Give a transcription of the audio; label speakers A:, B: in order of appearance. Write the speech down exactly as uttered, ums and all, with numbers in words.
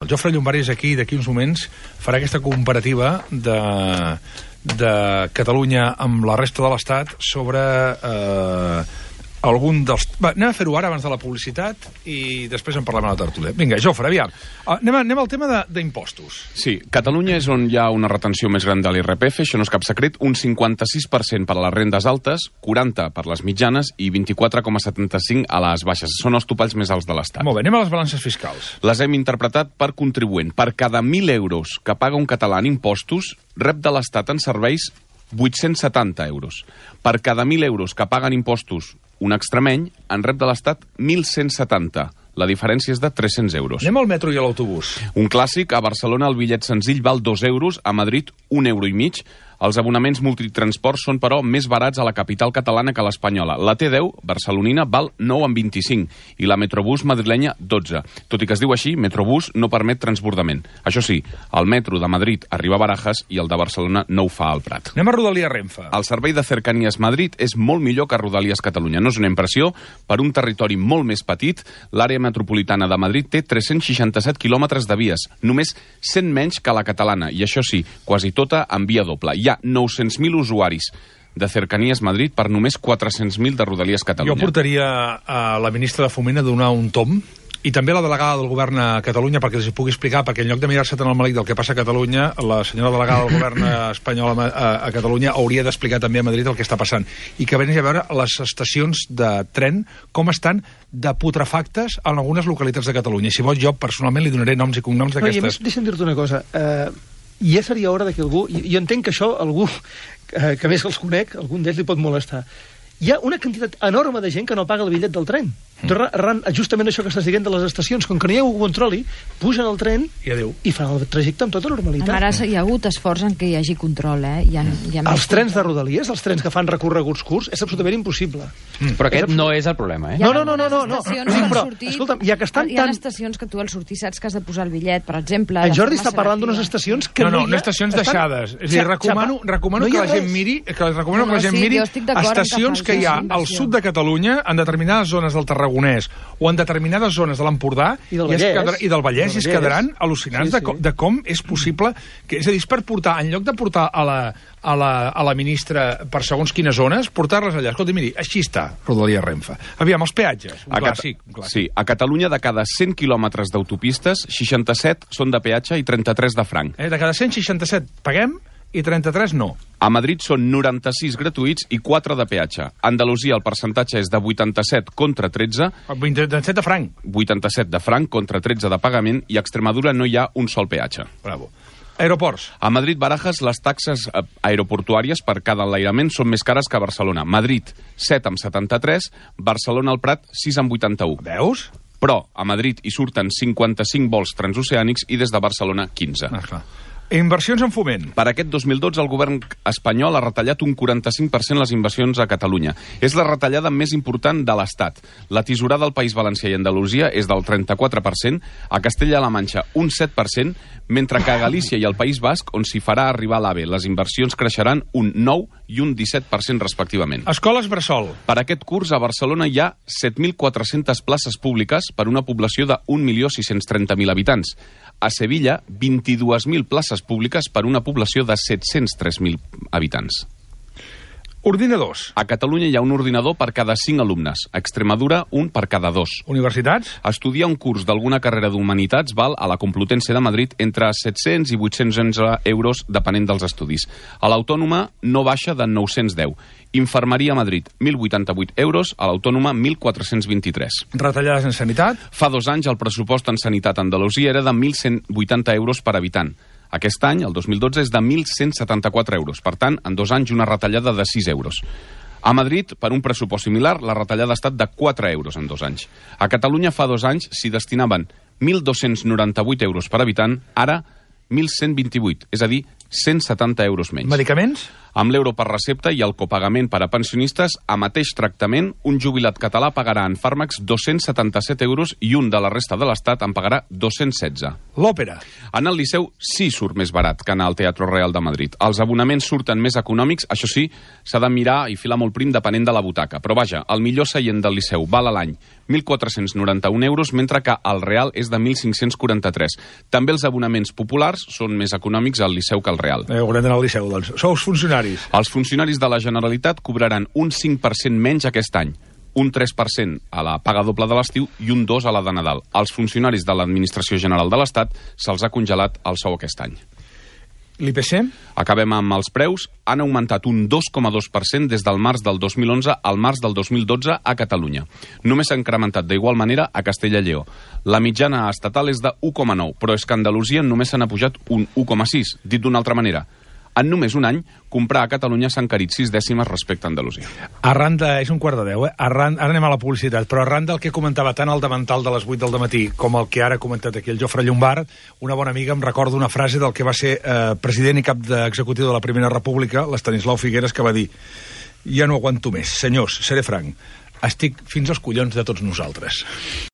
A: El Jofre Llombart és aquí, d'aquí uns moments farà aquesta comparativa de, de Catalunya amb la resta de l'Estat sobre eh, algun dels... Va, anem a fer-ho ara abans de la publicitat i després en parlem a la tertúlia. Vinga, Jofre, aviam. Anem, a, anem al tema d'impostos.
B: Sí, Catalunya és on hi ha una retenció més gran de l'I R P F, això no és cap secret, un cinquanta-sis per cent per a les rendes altes, quaranta per a les mitjanes i vint-i-quatre coma setanta-cinc a les baixes. Són els topalls més alts de l'Estat.
A: Molt bé, anem a les balances fiscals.
B: Les hem interpretat per contribuent. Per cada mil euros que paga un català en impostos, rep de l'Estat en serveis vuit-cents setanta euros. Per cada mil euros que paguen impostos un extremeny, en rep de l'Estat mil cent setanta. La diferència és de tres-cents euros.
A: Anem al metro i a l'autobús.
B: Un clàssic, a Barcelona el bitllet senzill val dos euros, a Madrid un euro i mig. Els abonaments multitransport són, però, més barats a la capital catalana que a l'espanyola. La T deu, barcelonina, val nou coma vint-i-cinc i la Metrobús madrilenya dotze. Tot i que es diu així, Metrobús no permet transbordament. Això sí, el metro de Madrid arriba a Barajas i el de Barcelona no ho fa al Prat.
A: Anem a Rodalies Renfe.
B: El servei de Cercanías Madrid és molt millor que Rodalies Catalunya. No és una impressió, per un territori molt més petit, l'àrea metropolitana de Madrid té tres-cents seixanta-set quilòmetres de vies, només cent menys que la catalana, i això sí, quasi tota en via doble. Hi ha nou-cents mil usuaris de Cercanías Madrid per només quatre-cents mil de Rodalies Catalunya.
A: Jo portaria a la ministra de Foment a donar un tom, i també a la delegada del govern a Catalunya, perquè els hi pugui explicar, perquè en lloc de mirar-se tant el malic del que passa a Catalunya, la senyora delegada del govern espanyol a, a, a Catalunya hauria d'explicar també a Madrid el que està passant. I que vegi a veure les estacions de tren com estan de putrefactes en algunes localitats de Catalunya. I si vol, jo personalment li donaré noms i cognoms d'aquestes.
C: No, i a més, deixa'm dir-te una cosa. Eh, ja seria hora que algú... Jo entenc que això, algú eh, que més els conec, algun d'ells li pot molestar. Hi ha una quantitat enorme de gent que no paga el bitllet del tren. Mm. Arran, justament això que estàs dient de les estacions, com que no hi ha un controli, pugen al tren
A: i,
C: i fan el trajecte amb tota normalitat.
D: Ara hi ha hagut esforç en què hi hagi control, eh? Hi ha, hi ha
C: els trens control. De Rodalies, els trens que fan recorreguts curts, és absolutament impossible.
E: Mm. Però aquest és no és el problema, eh?
C: No, no, no, no, no, no. Sí, però,
D: sortit,
C: escolta'm, ja que estan
D: hi ha
C: tan...
D: estacions que tu al sortir saps que has de posar el bitllet, per exemple...
C: En Jordi està parlant d'unes estacions que
A: no,
C: no,
A: no, no estacions deixades. És a dir, recomano, recomano que la gent miri, que recomano que la gent miri estacions que hi ha al sud de Catalunya, en determinades zones del Tarragonès o en determinades zones de l'Empordà
C: i del Vallès,
A: quedar, i del Vallès, i es quedaran al·lucinants sí, sí. De, com, de com és possible que, és a dir, és per portar, en lloc de portar a la, a la, a la ministra per segons quines zones, portar-les allà. Escolta, miri, així està Rodalies Renfe. Aviam, els peatges, un,
B: a
A: clàssic, un clàssic.
B: Sí, a Catalunya de cada cent quilòmetres d'autopistes, seixanta-set són de peatge i trenta-tres de franc.
A: Eh, de cada cent seixanta-set paguem i trenta-tres no.
B: A Madrid són noranta-sis gratuïts i quatre de peatge. A Andalusia el percentatge és de vuitanta-set contra tretze.
A: vuitanta-set de franc.
B: vuitanta-set de franc contra tretze de pagament, i a Extremadura no hi ha un sol peatge.
A: Bravo. Aeroports.
B: A Madrid-Barajas les taxes aeroportuàries per cada enlairament són més cares que a Barcelona. Madrid, set coma setanta-tres, Barcelona al Prat, sis coma vuitanta-u.
A: Veus?
B: Però a Madrid hi surten cinquanta-cinc vols transoceànics i des de Barcelona quinze.
A: Ah, clar. Inversions en foment.
B: Per aquest dos mil dotze el govern espanyol ha retallat un quaranta-cinc per cent les inversions a Catalunya. És la retallada més important de l'Estat. La tisorada del País Valencià i Andalusia és del trenta-quatre per cent, a Castella-La Manxa un set per cent, mentre que a Galícia i al País Basc, on s'hi farà arribar l'AVE, les inversions creixeran un nou i un disset per cent respectivament.
A: Escoles bressol.
B: Per aquest curs a Barcelona hi ha set mil quatre-centes places públiques per una població de un milió sis-cents trenta mil habitants. A Sevilla, vint-i-dues mil places públiques per una població de set-cents tres mil habitants.
A: Ordinadors.
B: A Catalunya hi ha un ordinador per cada cinc alumnes. A Extremadura, un per cada dos.
A: Universitats.
B: Estudiar un curs d'alguna carrera d'Humanitats val a la Complutense de Madrid entre set-cents i vuit-cents onze euros, depenent dels estudis. A l'Autònoma no baixa de nou-cents deu. Infermeria a Madrid, mil vuitanta-vuit euros, a l'Autònoma, mil quatre-cents vint-i-tres.
A: Retallades en sanitat.
B: Fa dos anys el pressupost en sanitat a Andalusia era de mil cent vuitanta euros per habitant. Aquest any, el dos mil dotze, és de mil cent setanta-quatre euros. Per tant, en dos anys, una retallada de sis euros. A Madrid, per un pressupost similar, la retallada ha estat de quatre euros en dos anys. A Catalunya, fa dos anys, s'hi destinaven mil dos-cents noranta-vuit euros per habitant, ara mil cent vint-i-vuit, és a dir, cent setanta euros menys.
A: Medicaments?
B: Amb l'euro per recepta i el copagament per a pensionistes, a mateix tractament, un jubilat català pagarà en fàrmacs dos-cents setanta-set euros i un de la resta de l'Estat en pagarà dos-cents setze.
A: L'òpera.
B: En el Liceu sí surt més barat que anar al Teatre Real de Madrid. Els abonaments surten més econòmics, això sí, s'ha de mirar i filar molt prim depenent de la butaca. Però vaja, el millor seient del Liceu val a l'any mil quatre-cents noranta-un euros, mentre que el Real és de mil cinc-cents quaranta-tres. També els abonaments populars són més econòmics al Liceu que al Real.
A: Eh, haurem d'anar al Liceu, doncs. Sou funcionaris.
B: Els funcionaris de la Generalitat cobraran un cinc per cent menys aquest any, un tres per cent a la paga doble de l'estiu i un dos per cent a la de Nadal. Als funcionaris de l'Administració General de l'Estat se'ls ha congelat el sou aquest any.
A: L'I P C?
B: Acabem amb els preus. Han augmentat un dos coma dos per cent des del març del dos mil onze al març del dos mil dotze a Catalunya. Només s'ha incrementat d'igual manera a Castella i Lleó. La mitjana estatal és de u coma nou, però és que a Andalusia només se n'ha pujat un u coma sis. Dit d'una altra manera, en només un any, comprar a Catalunya s'ha encarit sis dècimes respecte a Andalusia.
A: Arran de... És un quart de deu, eh? Arran, ara anem a la publicitat, però arran del que comentava tant el davantal de les vuit del matí com el que ara ha comentat aquí el Jofre Llombard, una bona amiga em recorda una frase del que va ser eh, president i cap d'executiu de la Primera República, l'Estanislau Figueres, que va dir: ja no aguanto més, senyors, seré franc, estic fins als collons de tots nosaltres.